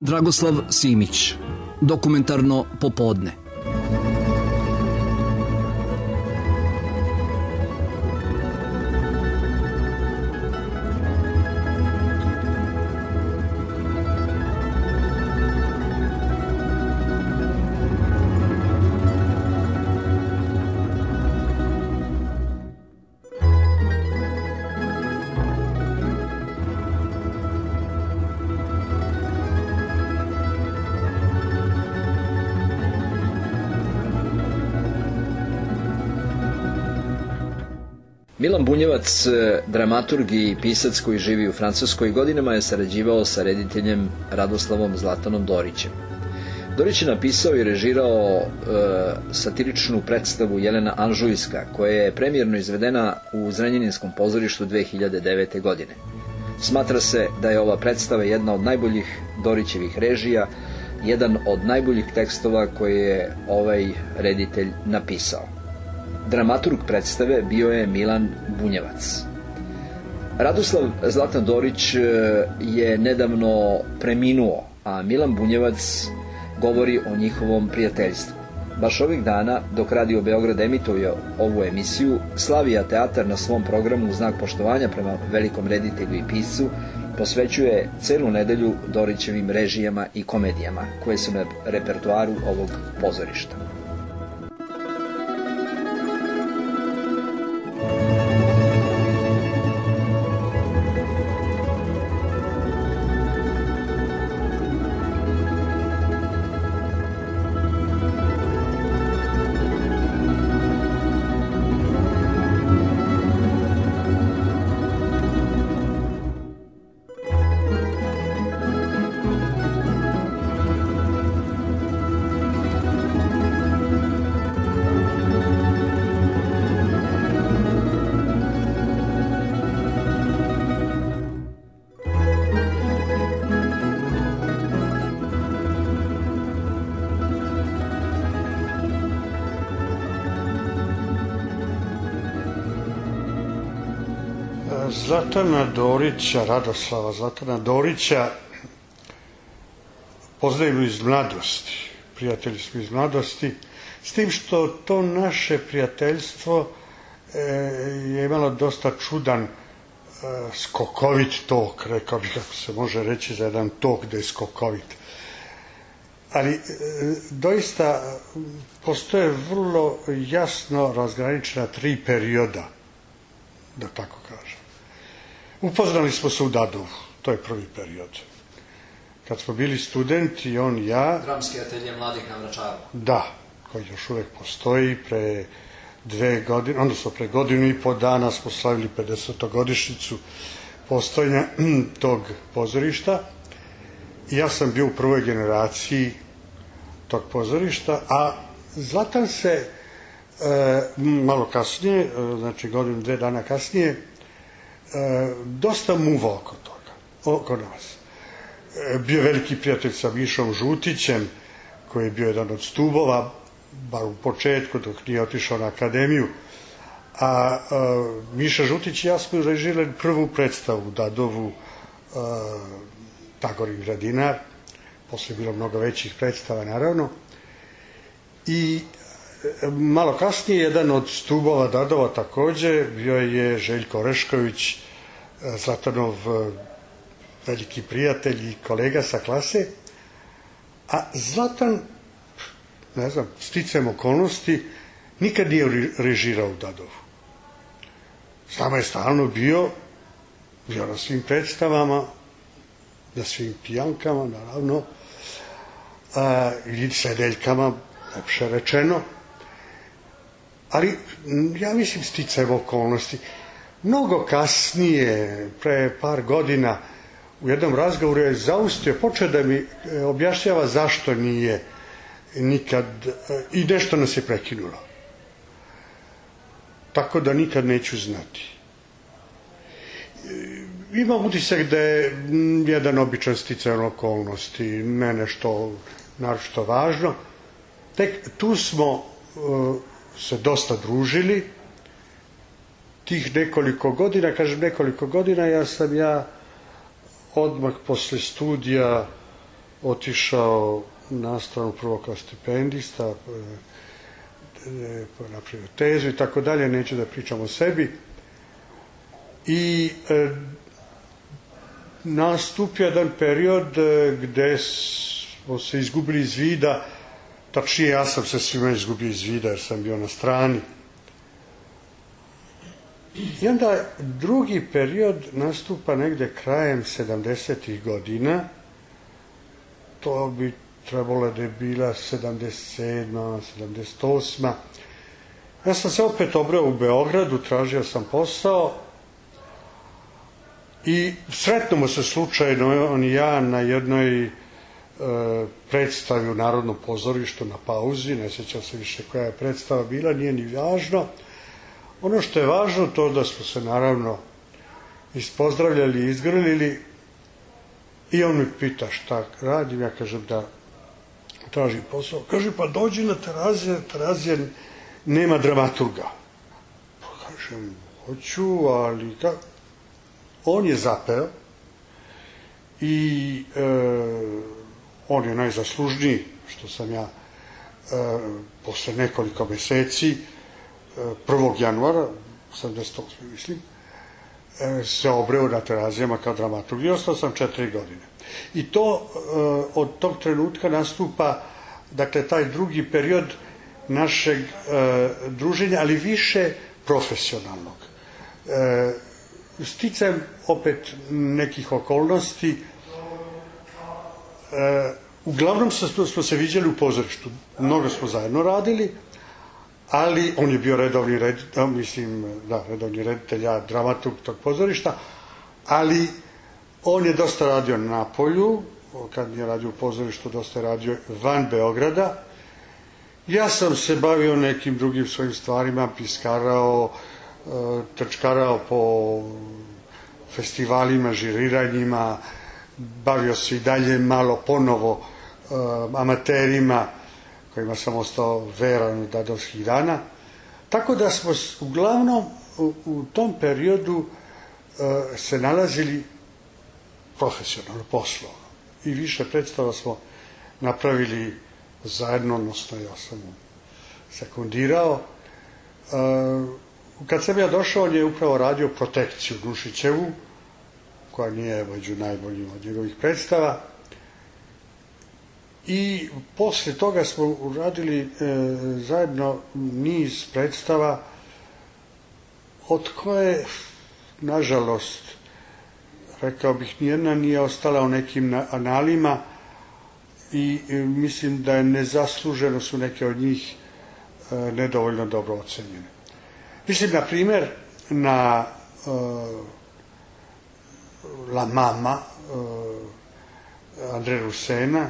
Dragoslav Simić, Dokumentarno popodne. Milan Bunjevac, dramaturg i pisac koji živi u Francuskoj, godinama je sarađivao sa rediteljem Radoslavom Zlatanom Dorićem. Dorić je napisao i režirao satiričnu predstavu Jelena Anžujska, koja je premijerno izvedena u Zrenjaninskom pozorištu 2009. godine. Smatra se da je ova predstava jedna od najboljih Dorićevih režija, jedan od najboljih tekstova koje je ovaj reditelj napisao. Dramaturg predstave bio je Milan Bunjevac. Radoslav Zlatan Dorić je nedavno preminuo, a Milan Bunjevac govori o njihovom prijateljstvu. Baš ovih dana, dok Radio Beograd emituje ovu emisiju, Slavija teatar na svom programu u znak poštovanja prema velikom reditelju i piscu posvećuje celu nedelju Dorićevim režijama i komedijama koje su na repertoaru ovog pozorišta. Zlatana Dorića, Radoslava Zlatana Dorića poznajemo iz mladosti, prijatelji smo iz mladosti, s tim što to naše prijateljstvo je imalo dosta čudan skokovit tok, rekao bih kako se može reći za jedan tok da je skokovit. Ali doista postoje vrlo jasno razgraničena 3 perioda, da tako kažem. Upoznali smo se u Dadovu, to je prvi period. Kad smo bili studenti, on i ja... Dramski atelje mladih na Vračaru. Da, koji još uvek postoji. Pre 2 godine, odnosno pre 1,5 godina smo slavili 50-godišnjicu postojanja tog pozorišta. I ja sam bio u prvoj generaciji tog pozorišta, a Zlatan se malo kasnije, znači 1-2 dana kasnije, dosta muvao oko toga, oko nas. Bio veliki prijatelj sa Mišom Žutićem, koji je bio jedan od stubova, bar u početku, dok nije otišao na akademiju. A Miša Žutić i ja smo režirali prvu predstavu u Dadovu, Tagorin Gradinar. Posle je bilo mnogo većih predstava, naravno. I malo kasnije jedan od stubova Dadova takođe bio je Željko Orešković, Zlatanov veliki prijatelj i kolega sa klase. A Zlatan, ne znam, sticajem okolnosti, nikad nije režirao u Dadovu. S nama je stalno bio na svim predstavama, na svim pijankama, naravno, ili sedeljkama, lepše rečeno. Ali, ja mislim, sticajem okolnosti. Mnogo kasnije, pre par godina, u jednom razgovoru je zaustio, počeo da mi objašnjava zašto nije nikad, i nešto nas je prekinulo. Tako da nikad neću znati. Imam utisak da je jedan običan sticajem okolnosti, ne nešto naročito važno. Tek tu smo se dosta družili. Tih nekoliko godina, kažem nekoliko godina, ja odmah posle studija otišao na stranu prvo kao stipendista, napravio tezu i tako dalje, neću da pričam o sebi. I nastupio jedan period gde smo se izgubili iz vida, tačnije ja sam se svima izgubio iz vida jer sam bio na strani. I onda drugi period nastupa negde krajem 70. godina, to bi trebalo da je bila 77. 78. Ja sam se opet obreo u Beogradu, tražio sam posao i sretnemo se slučajno on i ja na jednoj predstavi u Narodnom pozorištu na pauzi, ne sjećam se više koja je predstava bila, nije ni važno. Ono što je važno to da smo se naravno ispozdravljali i izgrlili i on mi pita šta radim, ja kažem da tražim posao. Kaže, pa dođi na Terazije nema dramaturga. Pa kažem, hoću, ali kako? On je zapeo i on je najzaslužniji, što sam ja posle nekoliko meseci 1. januara 78. mislim se obreo na Terazijama kao dramaturg i ostao sam 4 godine. I to od tog trenutka nastupa, dakle, taj drugi period našeg druženja, ali više profesionalnog. Sticajem opet nekih okolnosti, uglavnom smo se viđali u pozorištu, mnogo smo zajedno radili, ali on je bio redovni reditelj, ja dramaturg tog pozorišta, ali on je dosta radio na polju, kad je radio u pozorištu, dosta je radio van Beograda. Ja sam se bavio nekim drugim svojim stvarima, piskarao, trčkarao po festivalima, žiriranjima, bavio se i dalje malo ponovo amaterima, kojima sam ostao veran od dadovskih dana. Tako da smo uglavnom u tom periodu se nalazili profesionalno, poslovno. I više predstava smo napravili zajedno, odnosno ja sam mu sekundirao. Kad sam ja došao, on je upravo radio Protekciju Nušićevu, koja nije među najboljim od njegovih predstava. I posle toga smo uradili zajedno niz predstava od koje, nažalost, rekao bih, nijedna nije ostala u nekim analima i mislim da je nezasluženo su neke od njih nedovoljno dobro ocenjene. Mislim, na primer, na La Mama Andre Rusena,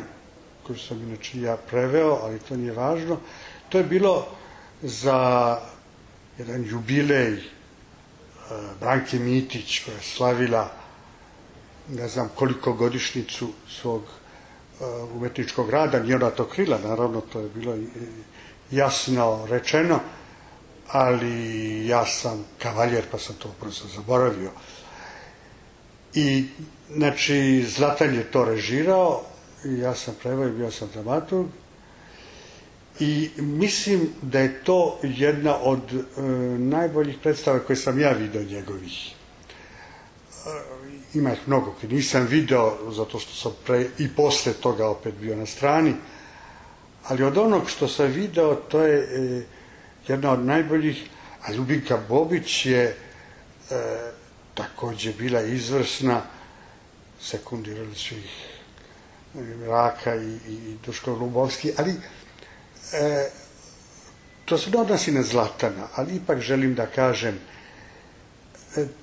koju sam inače ja preveo, ali to nije važno. To je bilo za jedan jubilej Branke Mitić, koja je slavila ne znam koliko godišnjicu svog umetničkog rada. Nije ona to krila, naravno, to je bilo jasno rečeno, ali ja sam kavaljer, pa sam to prosto zaboravio. I, znači, Zlatan je to režirao, i ja sam preveo i bio sam dramaturg. I mislim da je to jedna od najboljih predstava koje sam ja vidio njegovih. Ima ih mnogo koje nisam video, zato što sam pre i posle toga opet bio na strani, ali od onog što sam video, to je jedna od najboljih. A Ljubinka Bobić je takođe bila izvrsna, sekundirali su ih Raka i Duško Lubovski, ali to se ne odnosi na Zlatana, ali ipak želim da kažem,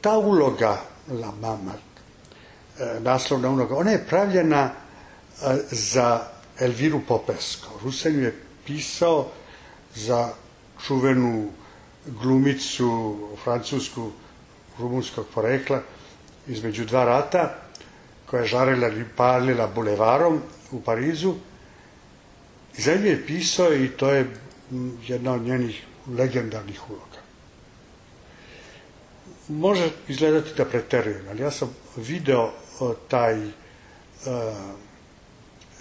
ta uloga La Mama, naslovna uloga, ona je pravljena za Elviru Popesco. Rusen je pisao za čuvenu glumicu francusku rumunskog porekla između dva rata, koja je žarila i palila bulevarom u Parizu. I za nju je pisao i to je jedna od njenih legendarnih uloga. Može izgledati da preterujem, ali ja sam video taj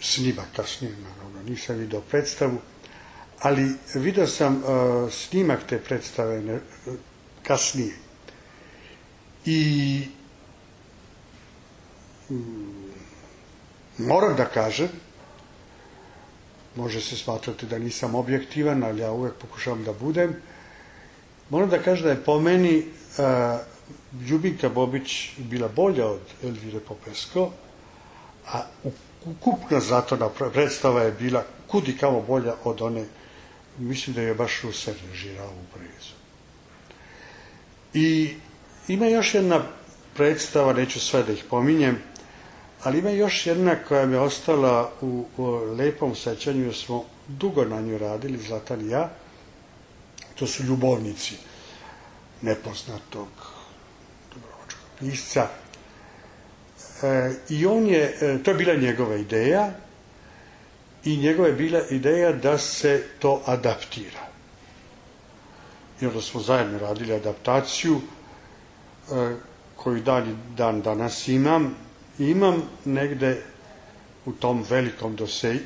snimak kasnije, naravno, nisam vidio predstavu, ali vidio sam snimak te predstave kasnije. I moram da kažem, može se smatrati da nisam objektivan, ali ja uvek pokušavam da budem, moram da kažem da je po meni Ljubinka Bobić bila bolja od Elvire Popesco, a ukupna Zlatona predstava je bila kudi kamo bolja od one, mislim da je baš Ruser režirao u Parizu. I ima još jedna predstava, neću sve da ih pominjem, ali ima još jedna koja mi je ostala u lepom sećanju, jer smo dugo na nju radili, Zlatan i ja. To su Ljubovnici nepoznatog dubrovačkog pisca. I to je bila njegova ideja, i njegova je bila ideja da se to adaptira. I onda smo zajedno radili adaptaciju, koju dan danas imam. Imam negde u tom velikom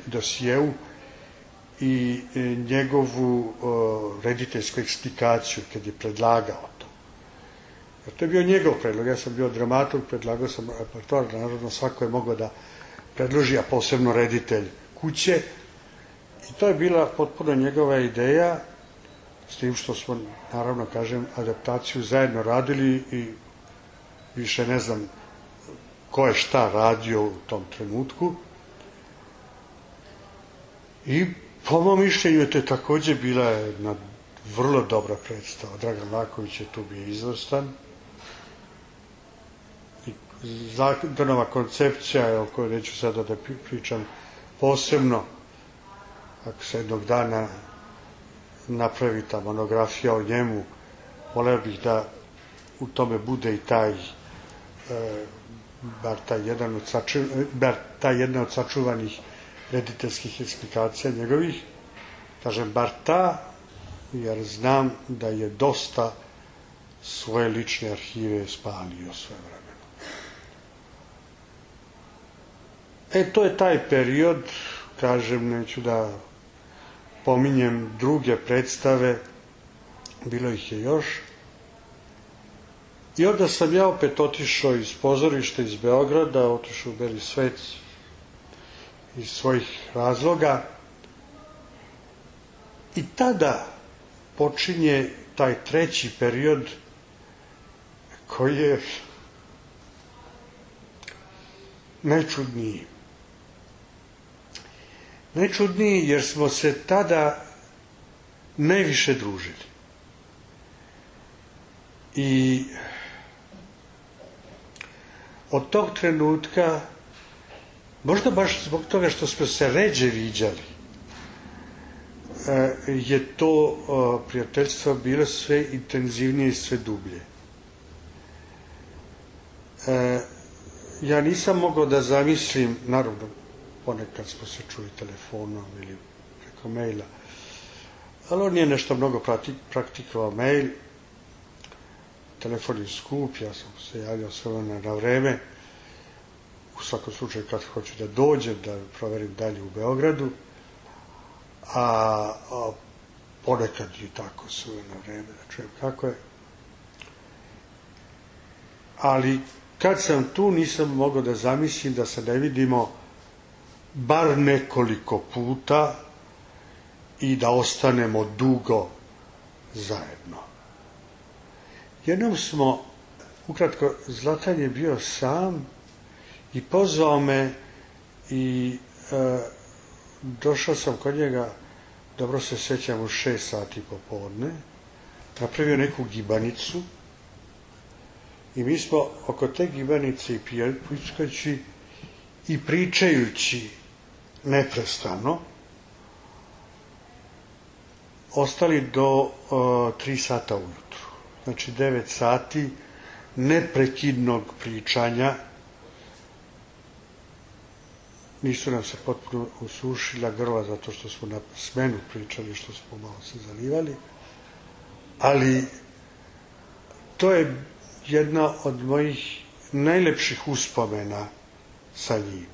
dosjeu i njegovu rediteljsku eksplikaciju kad je predlagao to. Jer to je bio njegov predlog, ja sam bio dramaturg, predlagao sam repertoar, naravno svako je mogao da predloži, a posebno reditelj kuće. I to je bila potpuno njegova ideja, s tim što smo, naravno, kažem, adaptaciju zajedno radili i više ne znam ko je šta radio u tom trenutku. I po mom mišljenju je to takođe bila jedna vrlo dobra predstava. Dragan Laković je tu bio izvrstan. I Zadanova koncepcija, o kojoj neću sada da pričam posebno, ako se jednog dana napravi ta monografija o njemu, voleo bih da u tome bude i bar ta jedna od sačuvanih rediteljskih eksplikacija njegovih. Kažem bar ta, jer znam da je dosta svoje lične arhive spalio svoje vremena. To je taj period, kažem, neću da pominjem druge predstave, bilo ih je još. I onda sam ja opet otišao iz pozorišta, iz Beograda, otišao u Beli svet iz svojih razloga. I tada počinje taj treći period koji je najčudniji. Najčudniji jer smo se tada najviše družili. I od tog trenutka, možda baš zbog toga što smo se ređe viđali, je to prijateljstvo bilo sve intenzivnije i sve dublje. Ja nisam mogao da zamislim, naravno, ponekad smo se čuli telefonom ili preko maila, ali on nije nešto mnogo praktikovao mail. Telefon je skup, ja sam se javljao sve na vreme, u svakom slučaju kad hoću da dođem, da proverim dalje u Beogradu, a ponekad i tako sve na vreme, da čujem kako je. Ali kad sam tu, nisam mogao da zamislim da se ne vidimo bar nekoliko puta i da ostanemo dugo zajedno. Jednom smo, ukratko, Zlatan je bio sam i pozvao me i došao sam kod njega, dobro se sećam, u 6 sati popodne, napravio neku gibanicu i mi smo oko te gibanice i pijajući i pričajući neprestano ostali do 3 sata ujutru. Znači 9 sati neprekidnog pričanja. Nisu nam se potpuno usušila grla zato što smo na smenu pričali, što smo malo se zalivali. Ali to je jedna od mojih najlepših uspomena sa njim.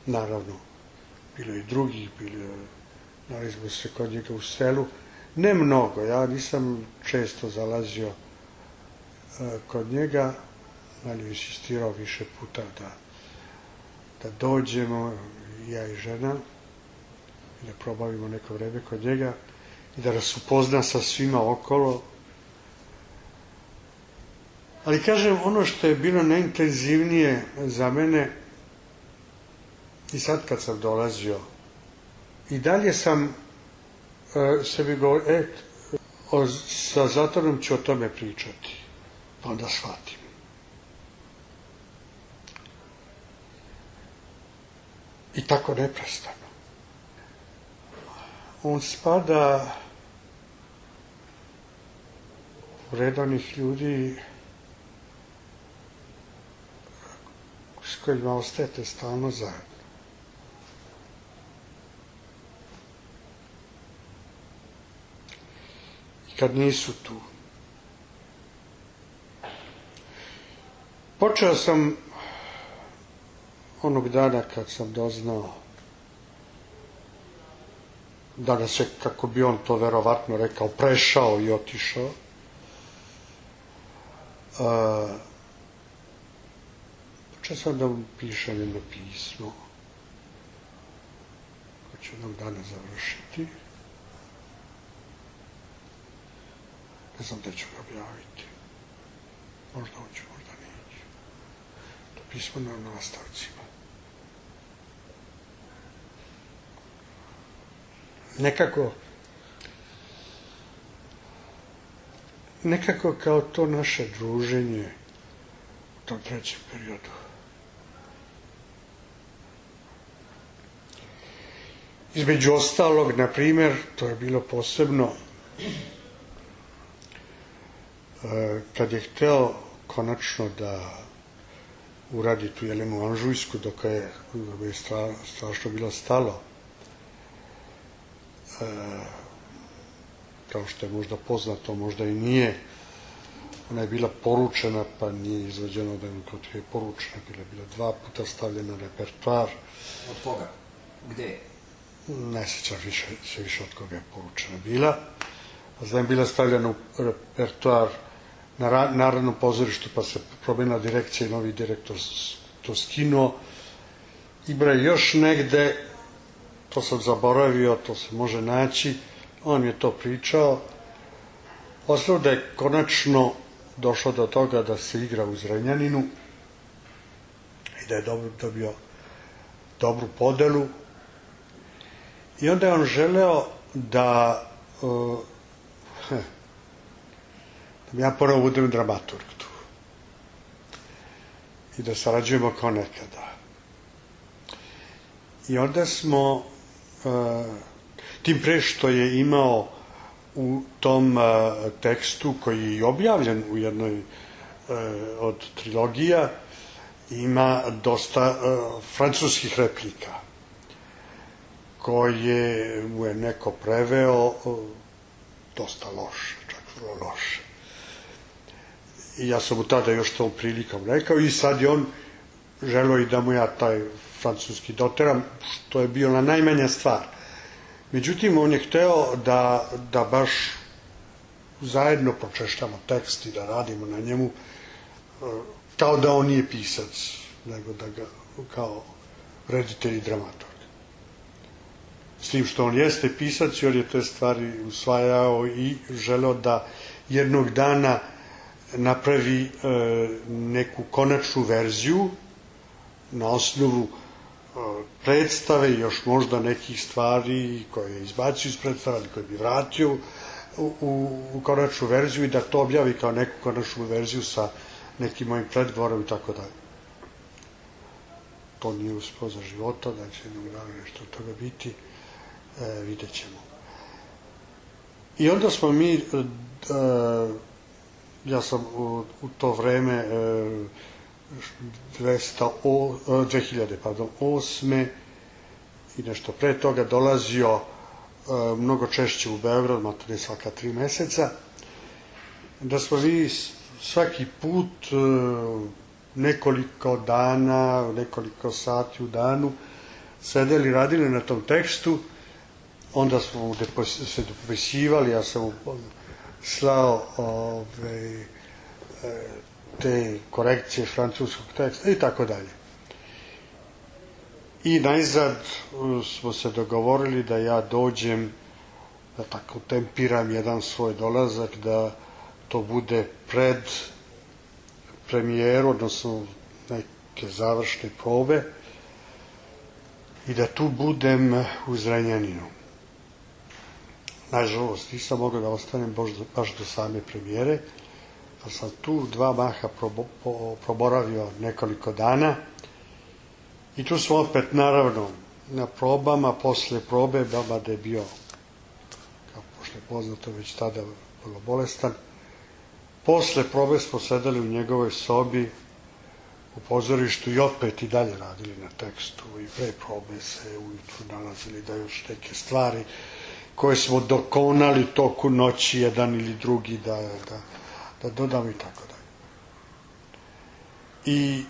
Naravno, bilo i drugih, nalazimo se kod njega u selu. Ne mnogo, ja nisam često zalazio kod njega, ali insistirao više puta da dođemo, ja i žena, i da probavimo neko vreme kod njega i da nas upozna sa svima okolo. Ali kažem, ono što je bilo najintenzivnije za mene, i sad kad sam dolazio, i dalje sam sebi govorio, sa Zlatanom ću o tome pričati, pa onda shvatim. I tako neprestano. On spada u redovnih ljudi s kojima ostajete stalno zajedno. I kad nisu tu. Počeo sam onog dana kad sam doznao da nas je, kako bi on to verovatno rekao, prešao i otišao. Počeo sam da mu pišem jedno pismo koje ću jednog dana završiti. Ne znam da ću ga objaviti. Možda hoću, možda neću. To pismo na nastavcima. Nekako kao to naše druženje u tom trećem periodu. Između ostalog, na primjer, to je bilo posebno kad je hteo konačno da uradi tu Jelenu Anžujsku, dok je strašno bilo stalo. Kao što je možda poznato, možda i nije. Ona je bila poručena, pa nije izvođeno da je poručena. Bila 2 puta stavljena na repertoar. Od koga? Gde? Ne sjećam se više od koga je poručena bila. Znam, bila stavljena u repertoar na Narodnom pozorištu, pa se promenila direkcija i novi direktor to skinuo. I još negde, to sam zaboravio, to se može naći, on je to pričao. Ostalo da je konačno došlo do toga da se igra u Zrenjaninu i da je dobio dobru podelu. I onda je on želeo da ja ponovo budem dramaturg tu i da sarađujemo kao nekada. I onda smo, tim pre što je imao u tom tekstu koji je i objavljen u jednoj od trilogija, ima dosta francuskih replika koje mu je neko preveo dosta loše, čak vrlo loše. I ja sam mu tada još tom prilikom rekao i sad je on želeo i da mu ja taj francuski doteram, što je bila najmanja stvar. Međutim, on je hteo da baš zajedno pročešljamo tekst i da radimo na njemu kao da on nije pisac, nego da ga kao reditelj i dramaturg. S tim što on jeste pisac i on je te stvari usvajao i želeo da jednog dana napravi neku konačnu verziju na osnovu predstave i još možda nekih stvari koje je izbacio iz predstave, ali koje bi vratio u konačnu verziju i da to objavi kao neku konačnu verziju sa nekim mojim predgovorom i tako dalje. To nije uspeo za života, da će jednog dana nešto od toga biti, vidjet ćemo. I onda smo mi, ja sam u to vreme 2008. i nešto pre toga dolazio mnogo češće u Beograd, materne svaka 3 meseca, da smo mi svaki put nekoliko dana, nekoliko sati u danu sedeli, radili na tom tekstu, onda smo se dopisivali, ja sam slao te korekcije francuskog teksta i tako dalje. I najzad smo se dogovorili da ja dođem, da tako tempiram jedan svoj dolazak, da to bude pred premijeru, odnosno neke završne probe, i da tu budem u Zrenjaninu. Nažalost, nisam mogao da ostanem baš do same premijere, pa sam tu 2 maha proboravio nekoliko dana i tu smo opet, naravno, na probama, posle probe, mada je bio, kao pošto je poznato, već tada vrlo bolestan. Posle probe smo sedeli u njegovoj sobi u pozorištu i opet i dalje radili na tekstu, i pre probe se ujutru nalazili da još neke stvari koje smo dokonali toku noći, jedan ili drugi, da dodamo i tako dalje. I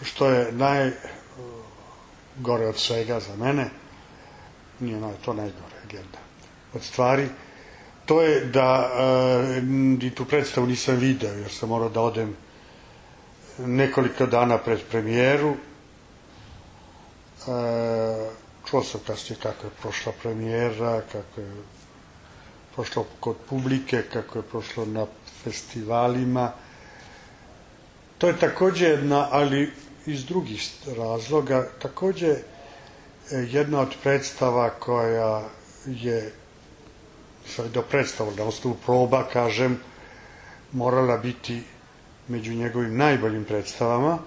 što je najgore od svega za mene, nije to najgore, jedna od stvari, to je da i tu predstavu nisam video, jer sam morao da odem nekoliko dana pred premijeru. Čuo sam kasnije kako je prošla premijera, kako je prošlo kod publike, kako je prošlo na festivalima. To je takođe jedna, ali iz drugih razloga, takođe jedna od predstava koja je, do predstava, na osnovu proba, kažem, morala biti među njegovim najboljim predstavama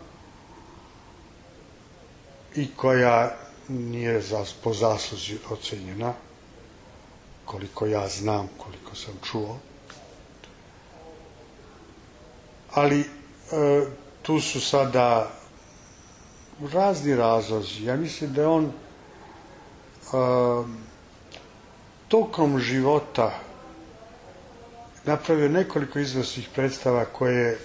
i koja nije po zasluzi ocenjena, koliko ja znam, koliko sam čuo. Ali tu su sada razni razlozi. Ja mislim da je on tokom života napravio nekoliko izvrsnih predstava koje,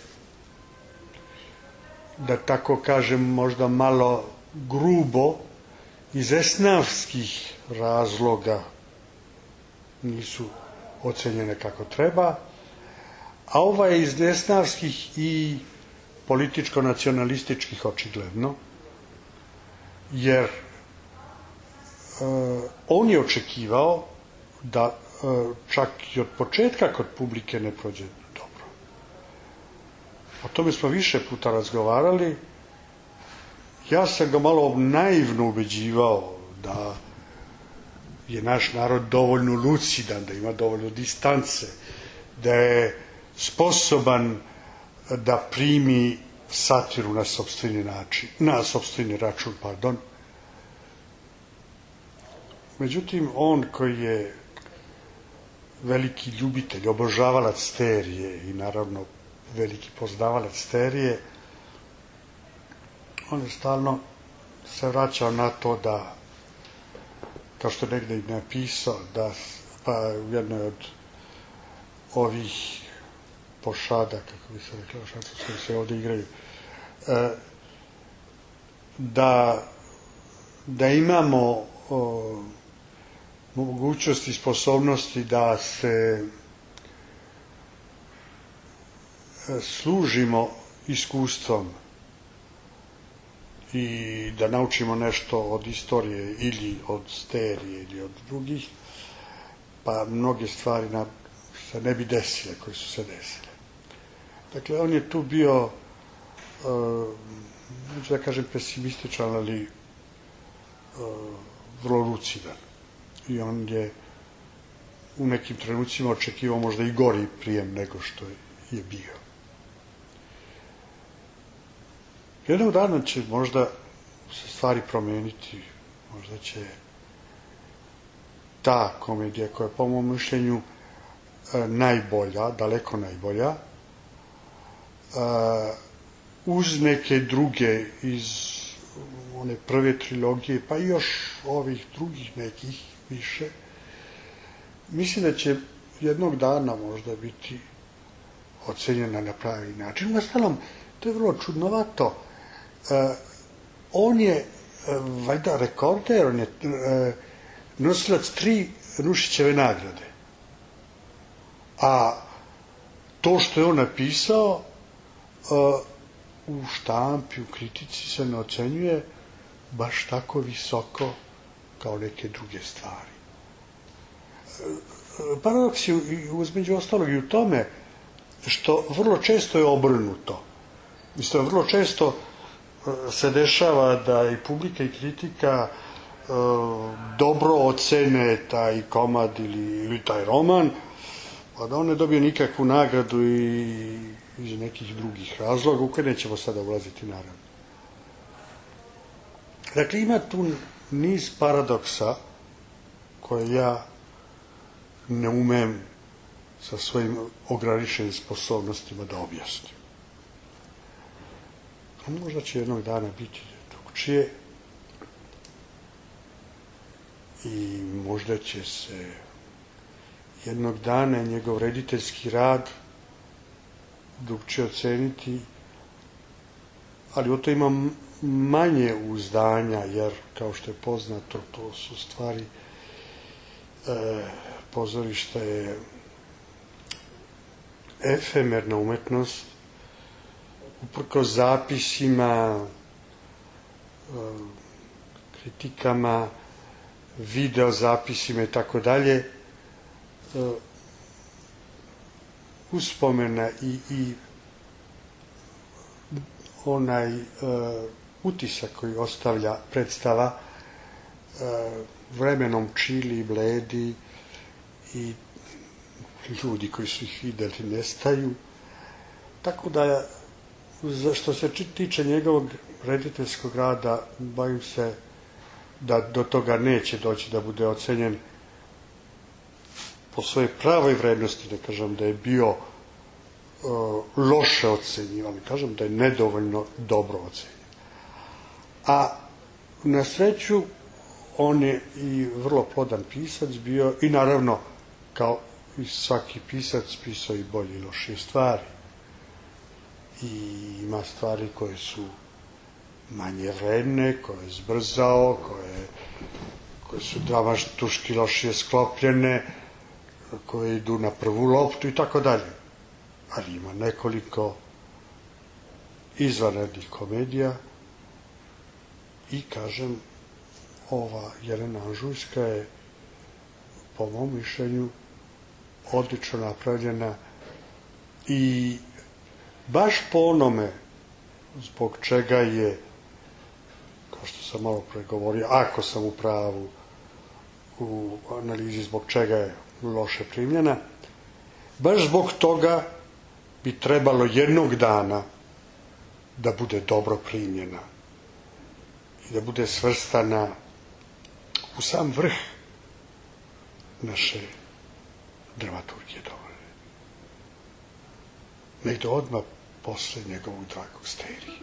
da tako kažem, možda malo grubo, iz esnavskih razloga nisu ocenjene kako treba, a ova je iz esnavskih i političko-nacionalističkih očigledno, jer on je očekivao da čak i od početka kod publike ne prođe dobro. O tome smo više puta razgovarali. Ja sam ga malo naivno ubeđivao da je naš narod dovoljno lucidan, da ima dovoljno distance, da je sposoban da primi satiru na sopstveni način, na sopstveni račun, pardon. Međutim, on koji je veliki ljubitelj, obožavalac terije i naravno veliki poznavalac terije, on je stalno se vraćao na to da, kao što je negde i napisao, da pa u jednoj od ovih pošada, kako bi se rekla, koji se ovde igraju, da imamo mogućnosti i sposobnosti da se služimo iskustvom i da naučimo nešto od istorije ili od sterije ili od drugih, pa mnoge stvari se ne bi desile koje su se desile. Dakle, on je tu bio, neću da kažem pesimističan, ali vrlo lucidan. I on je u nekim trenucima očekivao možda i gori prijem nego što je bio. Jednog dana će možda se stvari promeniti, možda će ta komedija koja je po mom mišljenju najbolja, daleko najbolja, uz neke druge iz one prve trilogije, pa i još ovih drugih nekih više, mislim da će jednog dana možda biti ocenjena na pravi način. Uostalom, to je vrlo čudnovato. On je valjda rekorder, on je nosilac 3 Nušićeve nagrade. A to što je on napisao u štampi, u kritici se ne ocenjuje baš tako visoko kao neke druge stvari. Paradoks je između ostalog i u tome što vrlo često je obrnuto. Mislim, vrlo često se dešava da i publika i kritika dobro ocene taj komad ili taj roman, a da on ne dobije nikakvu nagradu i iz nekih drugih razloga, u koje nećemo sada ulaziti naravno. Dakle, ima tu niz paradoksa koje ja ne umem sa svojim ograničenim sposobnostima da objasnim. A možda će jednog dana biti drugčije i možda će se jednog dana njegov rediteljski rad drugčije oceniti, ali o to imam manje uzdanja, jer kao što je poznato, to su stvari, pozorište je efemerna umetnost, uprkos zapisima, kritikama, video zapisima i tako dalje, uspomena i onaj utisak koji ostavlja predstava vremenom čili i bledi i ljudi koji su ih videli nestaju. Tako da, što se tiče njegovog rediteljskog rada, bojim se da do toga neće doći da bude ocenjen po svojoj pravoj vrednosti, ne kažem da je bio loše ocenjivan, kažem da je nedovoljno dobro ocenjen. A na sreću on je i vrlo plodan pisac bio i naravno kao i svaki pisac pisao i bolje i lošije stvari. I ima stvari koje su manje vredne, koje je zbrzao, koje su dramaturški lošije sklopljene, koje idu na prvu loptu i tako dalje. Ali ima nekoliko izvanrednih komedija i, kažem, ova Jelena Anžujska je, po mom mišljenju, odlično napravljena i baš po onome zbog čega je, kao što sam malo pre govorio, ako sam u pravu u analizi zbog čega je loše primljena, baš zbog toga bi trebalo jednog dana da bude dobro primljena i da bude svrstana u sam vrh naše dramaturgije dovoljne. Negde odmah posle njegovog dragog Sterije.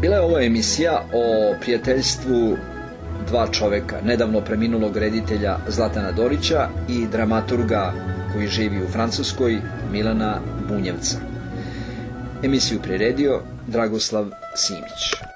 Bila je ovo emisija o prijateljstvu dva čoveka, nedavno preminulog reditelja Zlatana Dorića i dramaturga koji živi u Francuskoj, Milana Bunjevca. Emisiju priredio Dragoslav Simić.